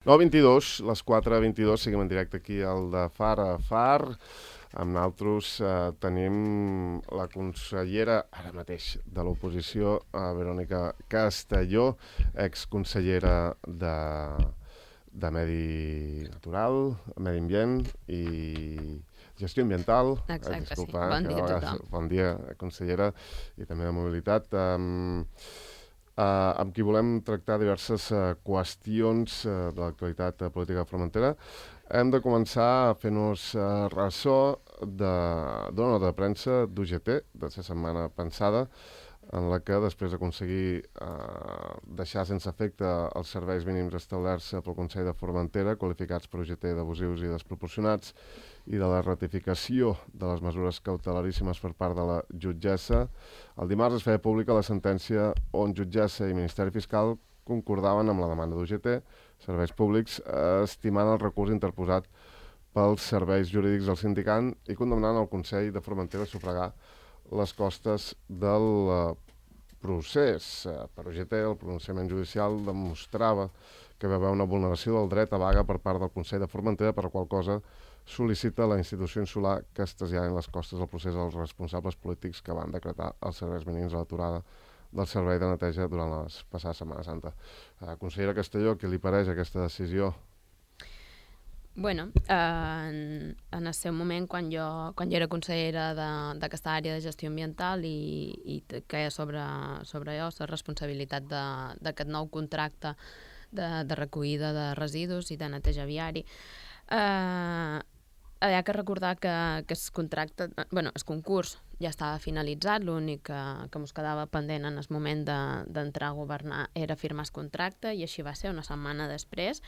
9:22, les 4:22, seguim en directe aquí al de Far a Far. Amb nosaltres tenim la consellera, ara mateix, de l'oposició, Verònica Castelló, exconsellera de Medi Natural, Medi Ambient i Gestió Ambiental. Exacte, disculpa, sí. Bon dia a tothom. Bon dia, consellera, i també de Mobilitat. Amb qui volem tractar diverses qüestions de l'actualitat política de Formentera. Hem de començar fent-nos ressò d'una nota de premsa d'UGT de la setmana passada, en la que, després d'aconseguir deixar sense efecte els serveis mínims establerts pel Consell de Formentera, qualificats per UGT d'abusius i desproporcionats, i de la ratificació de les mesures cautelaríssimes per part de la jutgessa, el dimarts es feia pública la sentència on jutgessa i Ministeri Fiscal concordaven amb la demanda d'UGT, Serveis Públics, estimant el recurs interposat pels serveis jurídics del sindicant i condemnant el Consell de Formentera a sufragar les costes del procés. Per UGT, el pronunciament judicial demostrava que hi va haver una vulneració del dret a vaga per part del Consell de Formentera, per la qual cosa sol·licita a la institució insular que es traslladen les costes del procés als responsables polítics que van decretar els serveis mínims a l'aturada del servei de neteja durant la passada Setmana Santa. Consellera Castelló, què li pareix aquesta decisió? Bueno, en el seu moment, quan jo era consellera d'aquesta àrea de gestió ambiental i queia sobre jo la responsabilitat d'aquest nou contracte de recollida de residus i de neteja viari, hi ha que recordar que el concurs ja estava finalitzat, l'únic que ens quedava pendent en el moment d'entrar a governar era firmar el contracte, i així va ser una setmana després,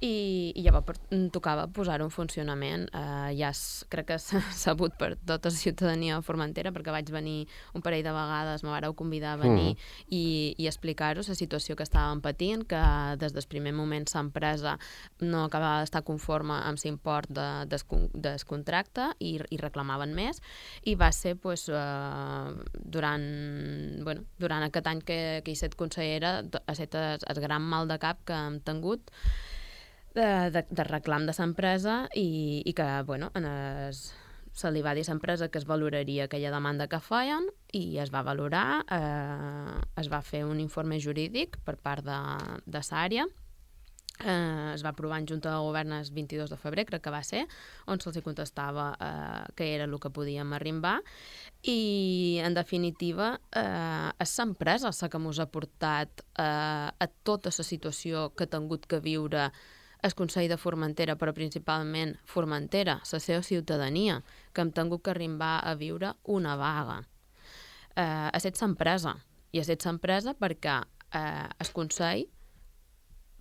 i llavors tocava posar-ho en funcionament. Crec que s'ha sabut per tota la ciutadania de Formentera, perquè vaig venir un parell de vegades, me vareu convidar a venir i explicar-vos la situació que estàvem patint, que des del primer moment l'empresa no acabava d'estar conforme amb l'import del contracte i reclamaven més, i va ser durant aquest any que he estat consellera ha estat el gran mal de cap que hem tingut de reclam de l'empresa i que se li va dir a l'empresa que es valoraria aquella demanda que feien i es va valorar, es va fer un informe jurídic per part de l'àrea, es va aprovar en Junta de Govern el 22 de febrer, crec que va ser, on se'ls contestava que era el que podíem arrimbar, i en definitiva és l'empresa la que ens ha portat a tota la situació que ha tingut que viure el Consell de Formentera, però principalment Formentera, la seva ciutadania, que hem tingut que arrimbar a viure una vaga. Ha estat l'empresa, i ha estat l'empresa perquè el Consell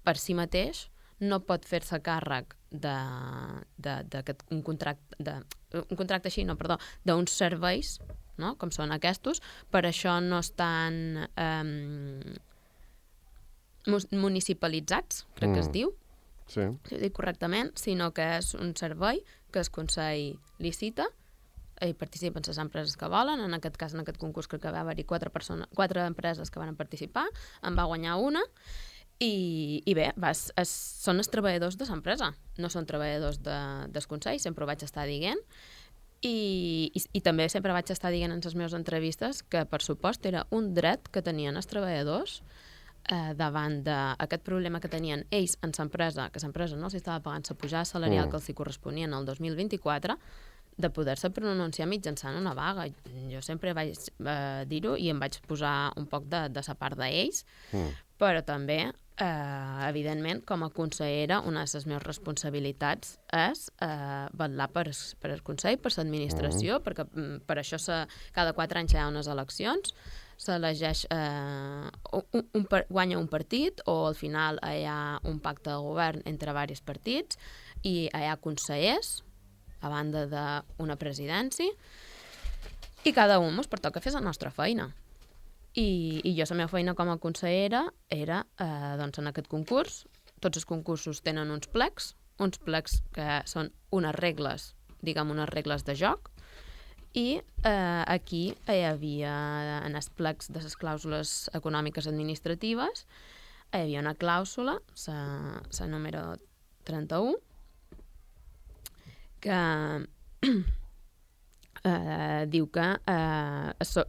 per si mateix no pot fer-se càrrec d'un contracte així, d'uns serveis, no? Com són aquests, per això no estan municipalitzats, crec que es diu, Sí. si ho dic correctament, sinó que és un servei que el Consell licita, hi participen les empreses que volen. En aquest cas, en aquest concurs, crec que va haver-hi 4 empreses que van participar, en va guanyar una, i bé, són els treballadors de l'empresa, no són treballadors del Consell, sempre ho vaig estar dient, i també sempre vaig estar dient en les meves entrevistes que, per supost, era un dret que tenien els treballadors davant d'aquest problema que tenien ells en l'empresa, que l'empresa no s'estava pagant la pujada salarial que els corresponia en el 2024, de poder-se pronunciar mitjançant una vaga. Jo sempre vaig dir-ho i em vaig posar un poc de la part d'ells, però també, evidentment, com a consellera, una de les meves responsabilitats és vetllar per el Consell, per l'administració, perquè per això cada 4 anys hi ha unes eleccions, s'elegeix, guanya un partit, o al final hi ha un pacte de govern entre diversos partits, i hi ha consellers, a banda d'una presidència, i cada un ens pertoca fer la nostra feina. I jo la meva feina com a consellera era, en aquest concurs. Tots els concursos tenen uns plecs que són unes regles, unes regles de joc, i aquí hi havia en els plecs de les clàusules econòmiques administratives hi havia una clàusula, la número 31, que diu que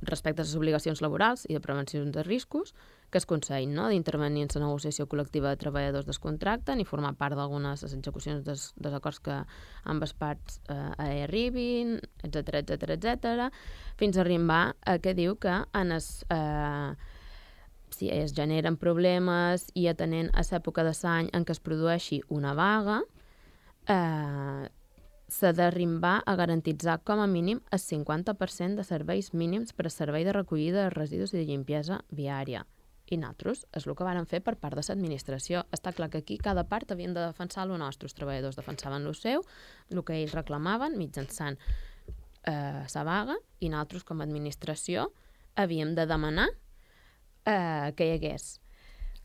respecte a les obligacions laborals i de prevenció de riscos que es concedin, no? D'intervenir en la negociació col·lectiva de treballadors descontracten i formar part d'algunes de les execucions dels acords que ambes parts arribin, etc, fins a arribar a que diu que si es generen problemes i atenent a l'època de l'any en què es produeixi una vaga, s'ha d'arribar a garantitzar com a mínim el 50% de serveis mínims per a servei de recollida de residus i de limpiesa viària. I nosaltres és el que vàrem fer per part de l'administració. Està clar que aquí cada part havien de defensar el nostre. Els treballadors defensaven el seu, el que ells reclamaven mitjançant la vaga, i nosaltres com a administració havíem de demanar que hi hagués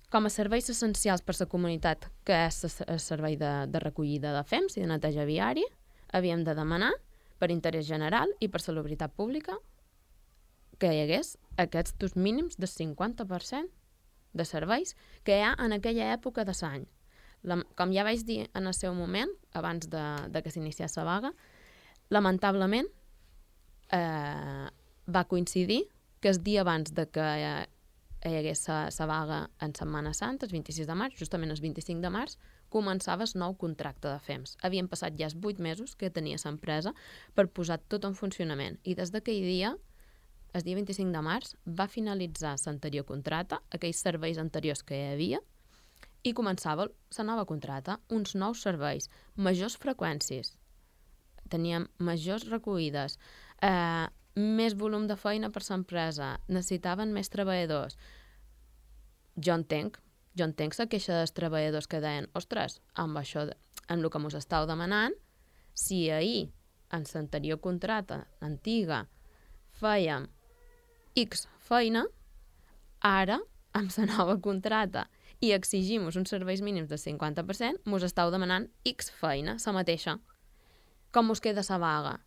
com a serveis essencials per a la comunitat, que és el servei de recollida de fems i de neteja viària, havíem de demanar per interès general i per salubritat pública que hi hagués aquests dos mínims del 50% de serveis que hi ha en aquella època de l'any. Com ja vaig dir en el seu moment, abans de que s'iniciés la vaga, lamentablement va coincidir que el dia abans de que hi hagués la vaga en Setmana Santa, el 26 de març, justament el 25 de març, començava el nou contracte de FEMS. Havien passat ja els 8 mesos que tenia l'empresa per posar tot en funcionament. I des d'aquell dia, el dia 25 de març, va finalitzar l'anterior contracte, aquells serveis anteriors que hi havia, i començava la nova contracte, uns nous serveis, majors freqüències. Teníem majors recollides, més volum de feina per l'empresa, necessitaven més treballadors. Jo entenc la queixa dels treballadors que deien, ostres, amb això, amb el que mos estàu demanant, si ahir, en l'anterior contracte antiga, fèiem X feina, ara, amb la nova contracte, i exigim uns serveis mínims del 50%, mos estàu demanant X feina, la mateixa. Com mos queda la vaga?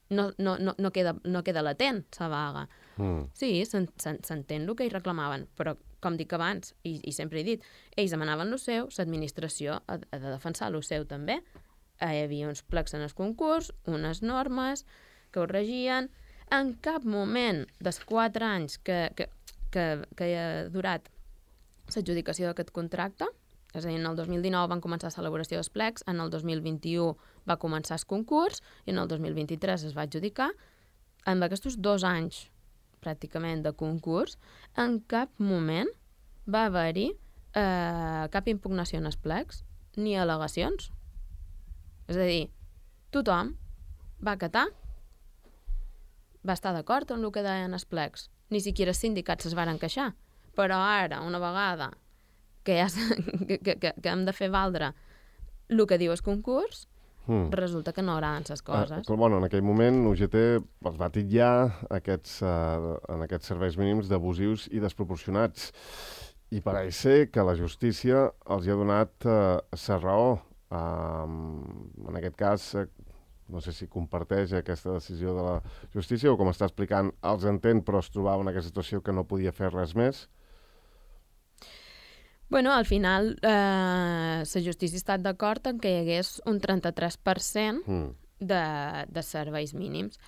No queda latent, la vaga. Sí, s'entén el que ells reclamaven, però, com dic abans, i sempre he dit, ells demanaven el seu, l'administració ha de defensar el seu també. Hi havia uns plecs en el concurs, unes normes que ho regien. En cap moment dels 4 anys que ha durat l'adjudicació d'aquest contracte, és a dir, en el 2019 van començar l'elaboració dels plecs, en el 2021 va començar el concurs i en el 2023 es va adjudicar. En aquests 2 anys, pràcticament, de concurs, en cap moment va haver-hi cap impugnació en els plecs ni al·legacions. És a dir, tothom va acatar, va estar d'acord amb el que deien els plecs. Ni siquiera els sindicats es varen queixar. Però ara, una vegada que hem de fer valdre el que diu el concurs, resulta que no agraden les coses. Bueno, en aquell moment UGT els va titllar en aquests serveis mínims d'abusius i desproporcionats. I pareix ser que la justícia els ha donat la raó. En aquest cas, no sé si comparteix aquesta decisió de la justícia o, com està explicant, els entén, però es trobava en aquesta situació que no podia fer res més. Bueno, al final la justícia ha estat d'acord en que hi hagués un 33% de serveis mínims.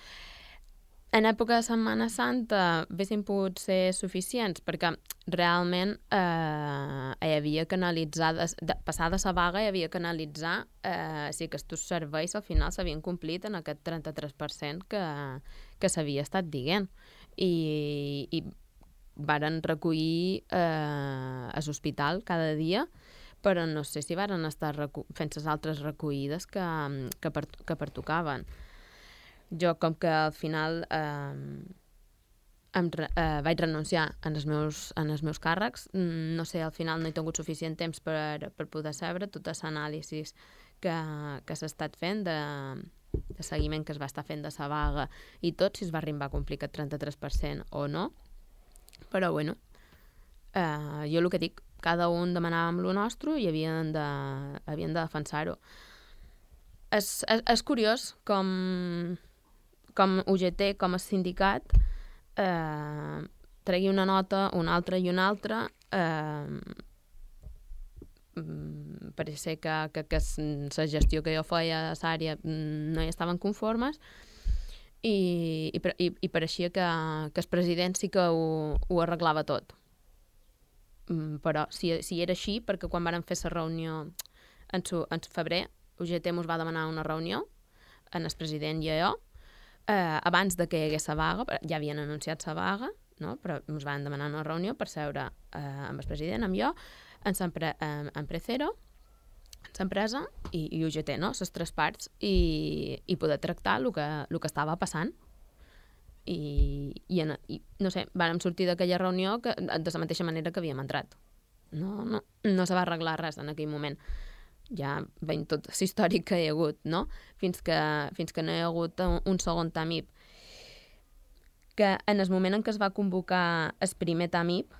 En època de Setmana Santa haguessin pogut ser suficients perquè realment hi havia que analitzar, passada la vaga hi havia que analitzar si aquests serveis al final s'havien complit en aquest 33% que s'havia estat dient. I varen recollir a l'hospital cada dia, però no sé si varen estar fent les altres recollides que pertocaven. Jo, com que al final vaig renunciar en els meus càrrecs, no sé, al final no he tingut suficient temps per poder saber tota l'anàlisi que s'ha estat fent de seguiment que es va estar fent de la vaga i tot, si es va arribar a complir aquest 33% o no. Però, bueno, jo el que dic, cada un demanàvem el nostre i havien de defensar-ho. És curiós com UGT, com a sindicat, tregui una nota, una altra i una altra, pareix ser que la gestió que jo feia a l'àrea no hi estaven conformes i pareixia que el president sí que ho arreglava tot. Però si era així, perquè quan vàrem fer la reunió en febrer, UGT ens va demanar una reunió en el president i jo, abans de que hi hagués la vaga, ja havien anunciat la vaga, no? Però ens van demanar una reunió per seure amb el president, amb jo, en Precero, en l'empresa i UGT, no? Les tres parts, i poder tractar el que estava passant. I no sé, vàrem sortir d'aquella reunió de la mateixa manera que havíem entrat. No se va arreglar res en aquell moment. Ja veiem tot l'històric que hi ha hagut, no? Fins que no hi ha hagut un segon TAMIP. Que en el moment en què es va convocar el primer TAMIP,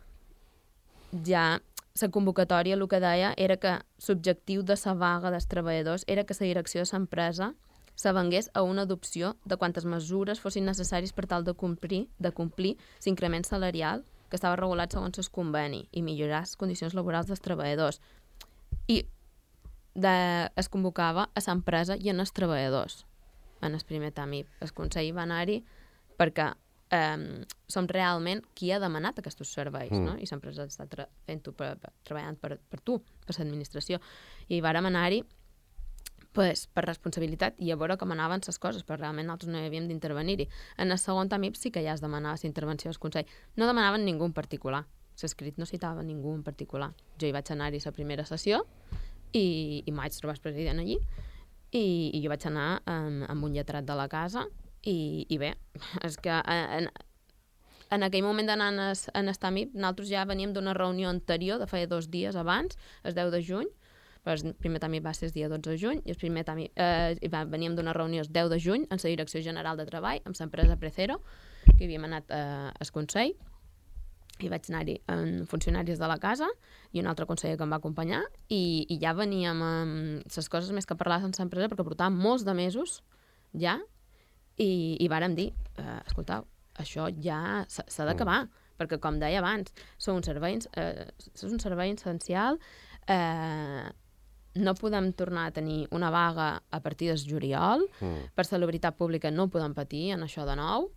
ja la convocatòria el que deia era que l'objectiu de la vaga dels treballadors era que la direcció de l'empresa s'avengués a una adopció de quantes mesures fossin necessaris per tal de complir l'increment salarial que estava regulat segons el conveni i millorar les condicions laborals dels treballadors. I es convocava a l'empresa i en els treballadors en el primer TAMIP. El Consell va anar-hi perquè som realment qui ha demanat aquests serveis, no? I l'empresa està treballant per tu, per l'administració. I vàrem anar-hi per responsabilitat i a veure com anaven les coses, però realment nosaltres no hi havíem d'intervenir-hi. En el segon TAMIP sí que ja es demanava la intervenció del Consell. No demanaven ningú en particular. L'escrit no citava ningú en particular. Jo hi vaig anar-hi a la primera sessió i m'ho vaig trobar el president allí i jo vaig anar amb un lletrat de la casa i bé, és que en aquell moment d'anar en el TAMIP nosaltres ja veníem d'una reunió anterior de feia 2 dies abans, el 10 de juny, però el primer TAMIP va ser el dia 12 de juny i el primer TAMIP veníem d'una reunió el 10 de juny en la Direcció General de Treball amb l'empresa Precero, que havíem anat al Consell i vaig anar-hi amb funcionaris de la casa i un altre conseller que em va acompanyar i ja veníem amb les coses més que parlar sense empresa perquè portàvem molts de mesos ja i vàrem dir, escoltau, això ja s'ha d'acabar, perquè com deia abans, és un servei essencial, no podem tornar a tenir una vaga a partir del juliol, per salubritat pública no podem patir en això de nou,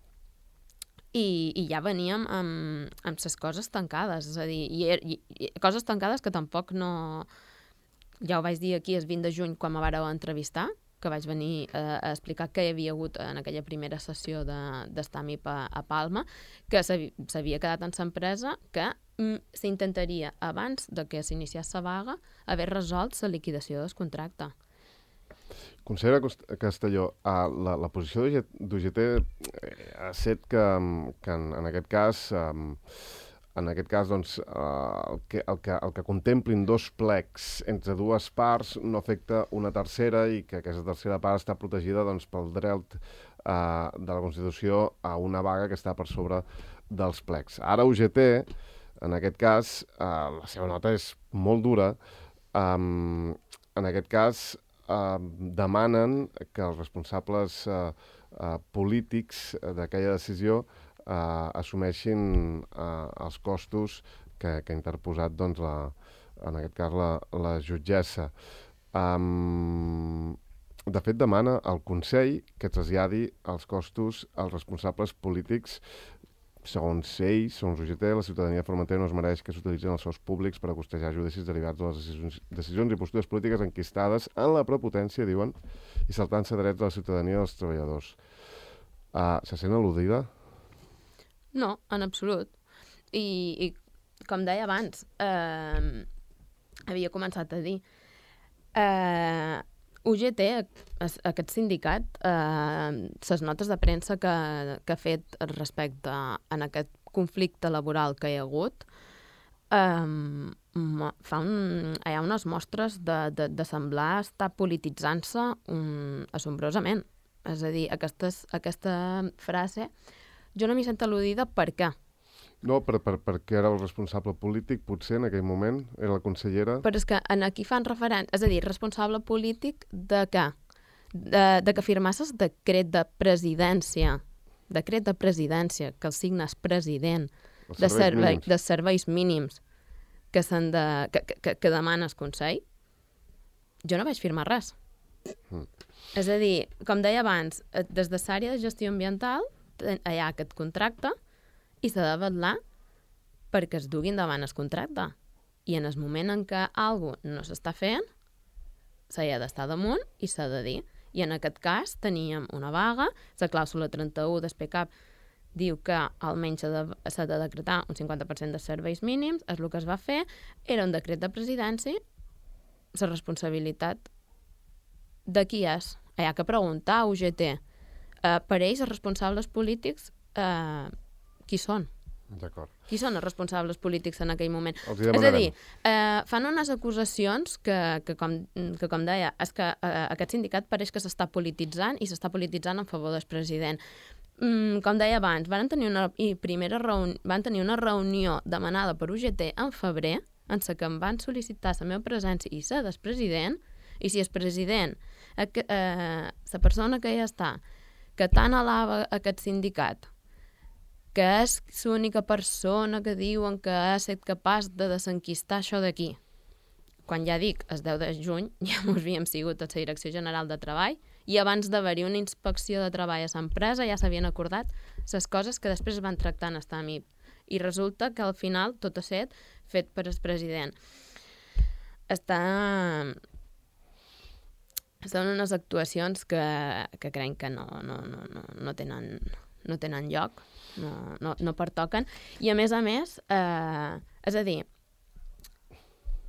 i ja veníem amb les coses tancades, és a dir, i coses tancades que tampoc no... Ja ho vaig dir aquí el 20 de juny quan me vareu entrevistar, que vaig venir a explicar què hi havia hagut en aquella primera sessió d'Estamip a Palma, que s'havia quedat en l'empresa, que s'intentaria, abans de que s'iniciés la vaga, haver resolt la liquidació del contracte. Consellera Castelló, la posició d'UGT ha set que en aquest cas, doncs, el que contemplin 2 plecs entre 2 parts no afecta una tercera i que aquesta tercera part està protegida doncs, pel dret de la Constitució a una vaga que està per sobre dels plecs. Ara UGT, en aquest cas, la seva nota és molt dura. En aquest cas, demanen que els responsables polítics d'aquella decisió assumeixin els costos que ha interposat, doncs, en aquest cas, la jutgessa. De fet, demana al Consell que traslladi els costos als responsables polítics. Segons ells, segons UGT, la ciutadania de Formentera no es mereix que s'utilitzin els sous públics per a costejar judicis derivats de les decisions i postures polítiques enquistades en la prepotència, diuen, i saltant-se drets de la ciutadania dels treballadors. Se sent al·ludida? No, en absolut. I com deia abans, havia començat a dir, UGT, aquest sindicat, les notes de premsa que ha fet respecte en aquest conflicte laboral que hi ha hagut, hi ha unes mostres de semblar estar polititzant-se assombrosament. És a dir, aquesta frase, jo no m'hi sento al·ludida per què? No, perquè era el responsable polític, potser, en aquell moment, era la consellera. Però és que aquí fan referència, és a dir, responsable polític de què? De que firmasses decret de presidència, que el signa el president, de serveis mínims. que demanes consell, jo no vaig firmar res. És a dir, com deia abans, des de l'àrea de gestió ambiental hi ha aquest contracte i s'ha de vetllar perquè es duguin davant el contracte. I en el moment en què alguna cosa no s'està fent, s'hi ha d'estar damunt i s'ha de dir. I en aquest cas teníem una vaga, la clàusula 31 del PCAP diu que almenys s'ha de decretar un 50% de serveis mínims, és el que es va fer, era un decret de presidència, la responsabilitat de qui és? Hi ha que preguntar a UGT. Per ells, els responsables polítics, qui són? D'acord. Qui són els responsables polítics en aquell moment? És a dir, fan unes acusacions que com deia, és que aquest sindicat pareix que s'està polititzant i s'està polititzant en favor del president. Com deia abans, van tenir una reunió demanada per UGT en febrer, en la que em van sol·licitar la meva presència i la del president, i si el president, la persona que ja està, que tant alaba aquest sindicat, que és l'única persona que diuen que ha estat capaç de desenquistar això d'aquí. Quan ja dic, el 10 de juny, ja ens havíem sigut a la Direcció General de Treball i abans d'haver-hi una inspecció de treball a l'empresa ja s'havien acordat les coses que després es van tractar en el TAMIP. I resulta que al final tot ha estat fet per el president. Són unes actuacions que crec que no tenen lloc, no pertoquen. I a més, és a dir,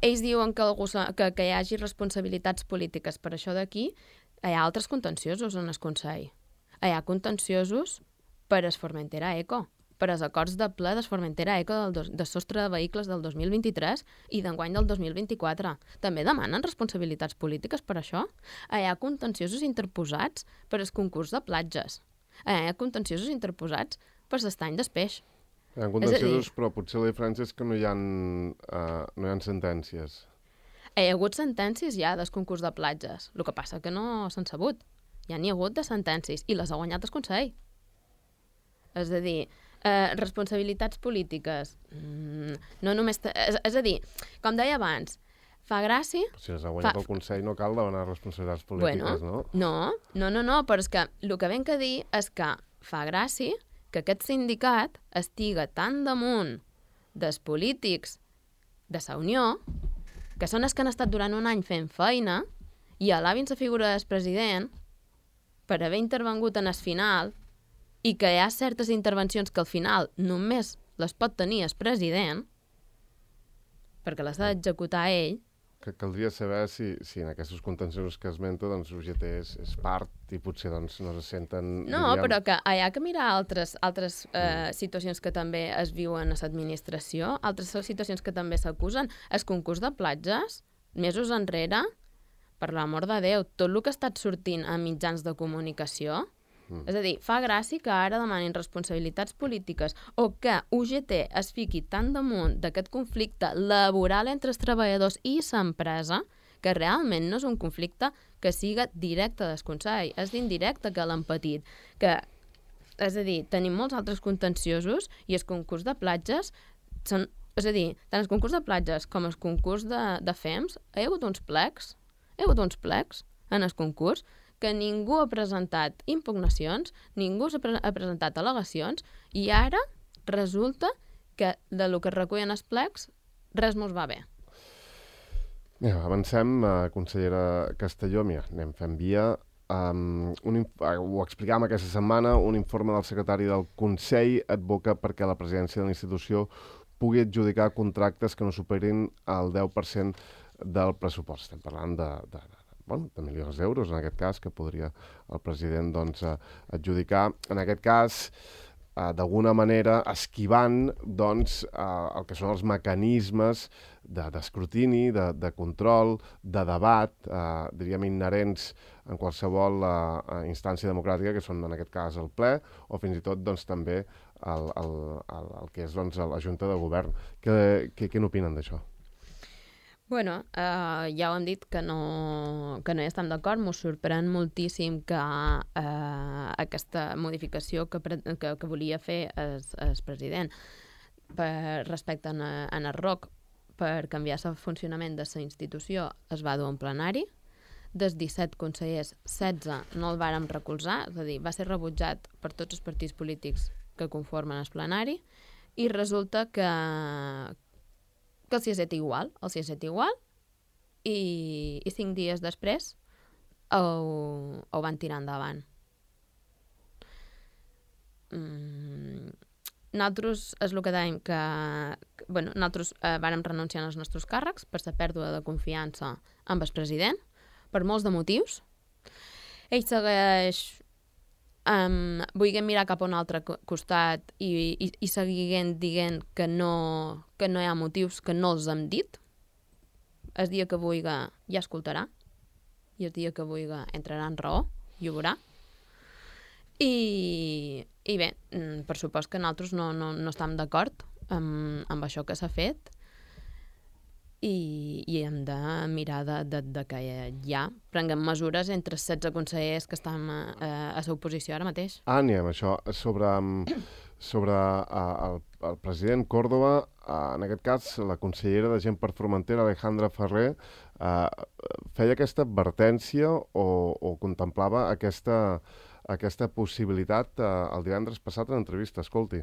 ells diuen que hi hagi responsabilitats polítiques per això d'aquí, hi ha altres contenciosos en el Consell. Hi ha contenciosos per el Formentera Eco, per als acords de ple del Formentera Eco de sostre de vehicles del 2023 i d'enguany del 2024. També demanen responsabilitats polítiques per això. Hi ha contenciosos interposats per al concurs de platges. Hi ha contenciosos interposats per l'estany del peix. Hi ha contenciosos, però potser la diferència és que no hi ha sentències. Hi ha hagut sentències ja del concurs de platges. El que passa que no s'han sabut. Ja n'hi ha hagut de sentències i les ha guanyat el Consell. És a dir, responsabilitats polítiques. No només... És a dir, com deia abans, fa gràcia... Si les ha guanyat el Consell no cal demanar responsabilitats polítiques, no? No, però és que el que venc a dir és que fa gràcia que aquest sindicat estiga tan damunt dels polítics de la Unió, que són els que han estat durant un any fent feina, i alabin la figura del president per haver intervengut en el final, i que hi ha certes intervencions que al final només les pot tenir el president, perquè les ha d'executar ell. Que caldria saber si en aquests contenciosos que esmenta doncs UGT és part i potser doncs, no se senten... No, però que hi ha que mirar altres situacions que també es viuen a l'administració, altres situacions que també s'acusen. El concurs de platges, mesos enrere, per l'amor de Déu, tot el que ha estat sortint a mitjans de comunicació, és a dir, fa gràcia que ara demanin responsabilitats polítiques o que UGT es fiqui tan damunt d'aquest conflicte laboral entre els treballadors i l'empresa que realment no és un conflicte que siga directe del Consell, és d'indirecte que l'han patit. És a dir, tenim molts altres contenciosos i el concurs de platges són... És a dir, tant el concurs de platges com el concurs de FEMS hi ha hagut uns plecs en el concurs que ningú ha presentat impugnacions, ningú ha presentat al·legacions i ara resulta que del que es recullen els plecs res mos va bé. Mira, avancem, consellera Castelló, anem fent via. Ho explicàvem aquesta setmana, un informe del secretari del Consell advoca perquè la presidència de la institució pugui adjudicar contractes que no superin el 10% del pressupost. Estem parlant de milions d'euros, en aquest cas, que podria el president adjudicar. En aquest cas, d'alguna manera, esquivant el que són els mecanismes d'escrutini, de control, de debat, diríem inherents en qualsevol instància democràtica, que són en aquest cas el ple, o fins i tot també el que és la Junta de Govern. Què n'opinen d'això? Bueno, ja ho hem dit que no hi estem d'acord. M'ho sorprèn moltíssim que aquesta modificació que volia fer el president respecte a el ROC per canviar el funcionament de la institució es va dur a un plenari. Dels 17 consellers, 16 no el vàrem recolzar, és a dir, va ser rebutjat per tots els partits polítics que conformen el plenari, i resulta que els hi ha estat igual, i 5 dies després ho van tirar endavant. Nosaltres és el que dèiem que nosaltres vàrem renunciar als nostres càrrecs per la pèrdua de confiança amb el president, per molts de motius. Ell segueix volent mirar cap a un altre costat i seguint dient que no hi ha motius que no els hem dit. El dia que vulgui ja escoltarà, i el dia que vulgui entrarà en raó i ho veurà. I bé, per supost que nosaltres no estem d'acord amb això que s'ha fet, i hem de mirar de que ja prenguem mesures entre els 16 consellers que estan a l'oposició ara mateix. Anem això, sobre el president Córdoba, en aquest cas la consellera de Gent per Formentera, Alejandra Ferrer, feia aquesta advertència o contemplava aquesta possibilitat el divendres passat en entrevista. Escolti.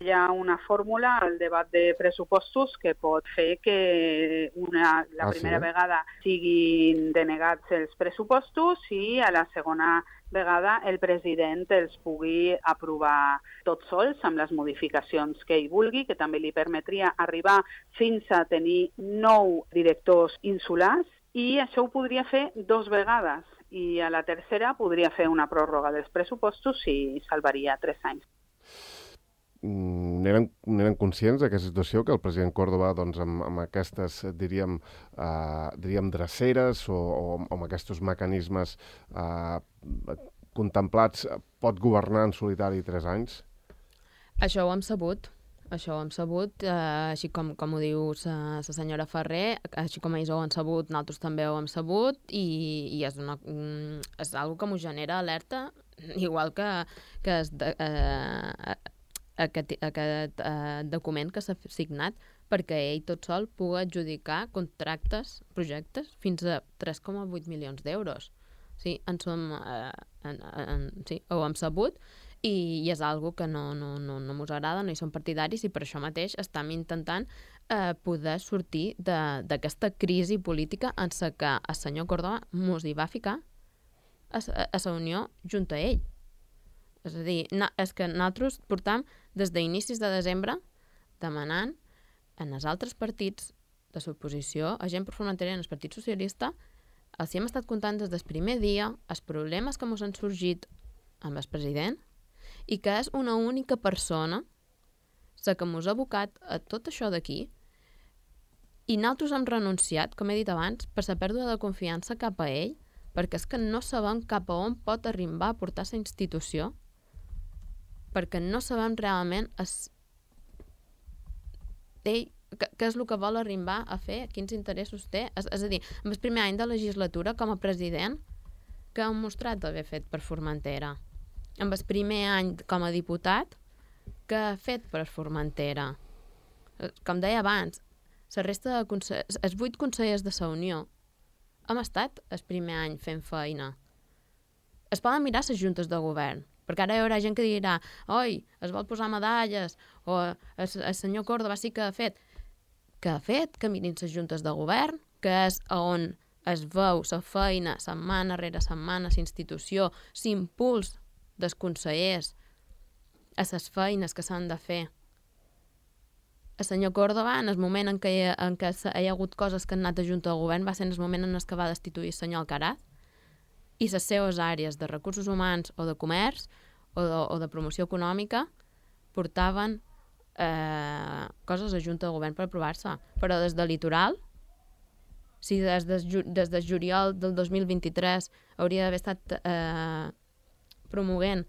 Hi ha una fórmula al debat de pressupostos que pot fer que la primera vegada siguin denegats els pressupostos i a la segona vegada el president els pugui aprovar tots sols amb les modificacions que ell vulgui, que també li permetria arribar fins a tenir 9 directors insulars, i això ho podria fer 2 vegades, i a la tercera podria fer una pròrroga dels pressupostos i salvaria 3 anys. N'eren conscients d'aquesta situació, que el president Córdoba, doncs, amb aquestes, diríem, dreceres o amb aquests mecanismes contemplats, pot governar en solitari 3 anys? Això ho hem sabut, així com ho diu la senyora Ferrer, així com ells ho han sabut, nosaltres també ho hem sabut, i és una que m'ho genera alerta, igual que aquest document que s'ha signat perquè ell tot sol pugui adjudicar projectes fins a 3,8 milions d'euros. Sí, ho hem sabut, i és una que no mos agrada, no hi som partidaris, i per això mateix estem intentant poder sortir d'aquesta crisi política en la que el senyor Córdoba mos hi va ficar a la Unió junt a ell. És a dir, és que nosaltres portam des d'inicis de desembre demanant en els altres partits de l'oposició, a Gent per Formentera i en el Partit Socialista, els hem estat contant des del primer dia els problemes que ens han sorgit amb el president, i que és una única persona la que ens ha abocat a tot això d'aquí, i nosaltres hem renunciat, com he dit abans, per la pèrdua de confiança cap a ell, perquè és que no sabem cap a on pot arribar a portar la institució, perquè no sabem realment què és el que vol arribar a fer, quins interessos té. És a dir, en el primer any de legislatura, com a president, que ha mostrat haver fet per Formentera. En el primer any com a diputat, que ha fet per Formentera. Com deia abans, la resta els 8 consellers de la Unió hem estat el primer any fent feina. Es poden mirar les juntes de govern, perquè ara hi haurà gent que dirà oi, es vol posar medalles, o el senyor Córdoba sí que ha fet. Que mirin les juntes de govern, que és on es veu la feina setmana rere setmana, la institució, l'impuls dels consellers a les feines que s'han de fer. El senyor Córdoba, en el moment en què hi ha hagut coses que han anat a junta de govern, va ser en el moment en què va destituir el senyor Alcaraz, i les seves àrees de recursos humans o de comerç o de promoció econòmica portaven coses a junta de govern per aprovar-se. Però des de litoral, si des de juliol del 2023 hauria d'haver estat promovent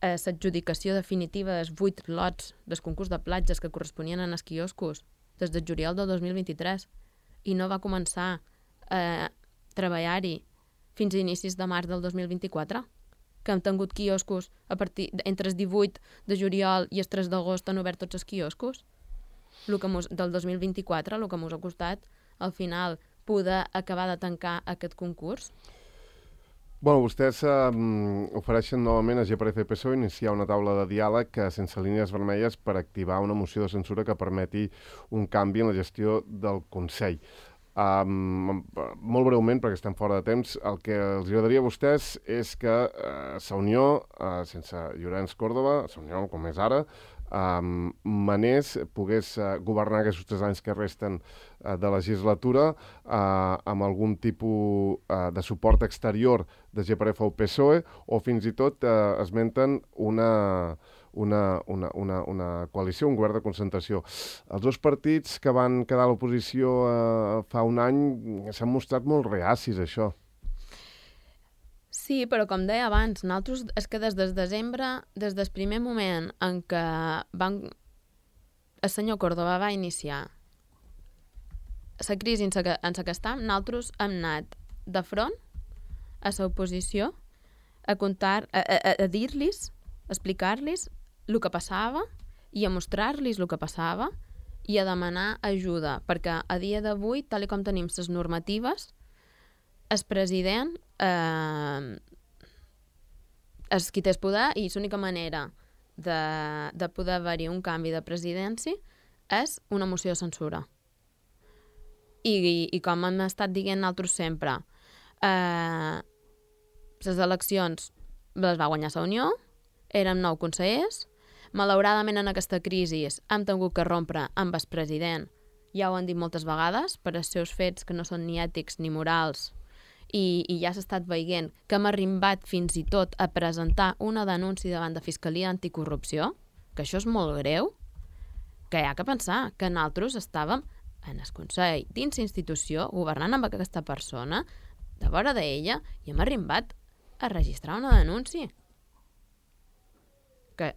l'adjudicació definitiva dels 8 lots del concurs de platges que corresponien en els quioscos des de juliol del 2023, i no va començar a treballar-hi fins a inicis de març del 2024, que hem tingut quioscos entre el 18 de juliol i el 3 d'agost han obert tots els quioscos. del 2024, el que m'us ha costat al final poder acabar de tancar aquest concurs? Bueno, vostès ofereixen novament a GPF i PSOE iniciar una taula de diàleg sense línies vermelles per activar una moció de censura que permeti un canvi en la gestió del Consell. Molt breument, perquè estem fora de temps, el que els agradaria a vostès és que Unió, sense Llorenç Córdoba, Unió com és ara, manés, pogués governar aquests 3 anys que resten de legislatura amb algun tipus de suport exterior de GPF o PSOE, o fins i tot esmenten una coalició, un govern de concentració. Els 2 partits que van quedar a l'oposició fa un any s'han mostrat molt reacis a això. Sí, però com deia abans, nosaltres és que des de desembre, des del primer moment en què el senyor Córdoba va iniciar la crisi en la que estem, nosaltres hem anat de front a l'oposició a contar, a dir-los, a explicar-los el que passava i a mostrar-los el que passava i a demanar ajuda, perquè a dia d'avui, tal com tenim les normatives, el president és qui té el poder i l'única manera de poder haver-hi un canvi de presidència és una moció de censura. I com hem estat dient nosaltres sempre, les eleccions les va guanyar la Unió, érem 9 consellers, malauradament en aquesta crisi hem tingut que rompre amb el president, ja ho han dit moltes vegades, per els seus fets que no són ni ètics ni morals, i ja s'ha estat veient que hem arribat fins i tot a presentar una denúncia davant de Fiscalia Anticorrupció, que això és molt greu, que hi ha que pensar que nosaltres estàvem en el Consell dins l'institució governant amb aquesta persona, de vora d'ella, i hem arribat a registrar una denúncia. Que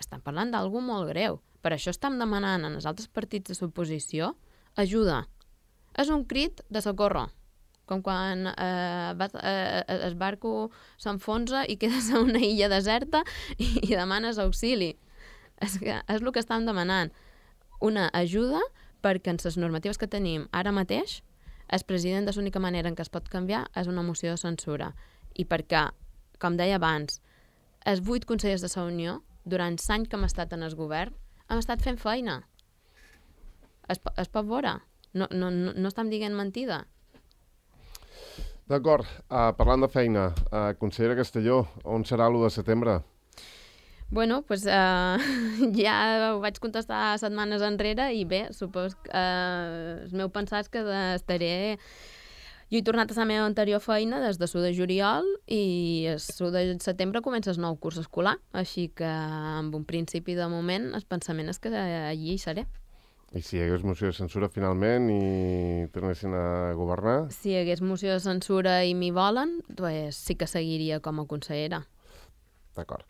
estan parlant d'algú molt greu. Per això estem demanant en els altres partits de l'oposició ajuda. És un crit de socorro. Com quan el barco s'enfonsa i quedes a una illa deserta i demanes auxili. És el que estem demanant. Una ajuda perquè en les normatives que tenim ara mateix el president de l'única manera en què es pot canviar és una moció de censura. I perquè, com deia abans, els 8 consellers de la Unió, durant l'any que hem estat en el govern, hem estat fent feina. Es pot veure. No estem dient mentida. D'acord. Parlant de feina, consellera Castelló, on serà l'1 de setembre? Bueno, doncs ja ho vaig contestar setmanes enrere i bé, supos que el meu pensat és que estaré... Jo he tornat a la meva anterior feina des de l'1 de juliol i el 1 de setembre comença el nou curs escolar, així que amb un principi de moment el pensament és que allí hi seré. I si hi hagués moció de censura finalment i tornessin a governar? Si hi hagués moció de censura i m'hi volen, doncs sí que seguiria com a consellera. D'acord.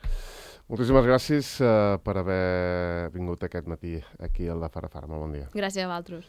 Moltíssimes gràcies per haver vingut aquest matí aquí al de Farafara. Molt bon dia. Gràcies a vosaltres.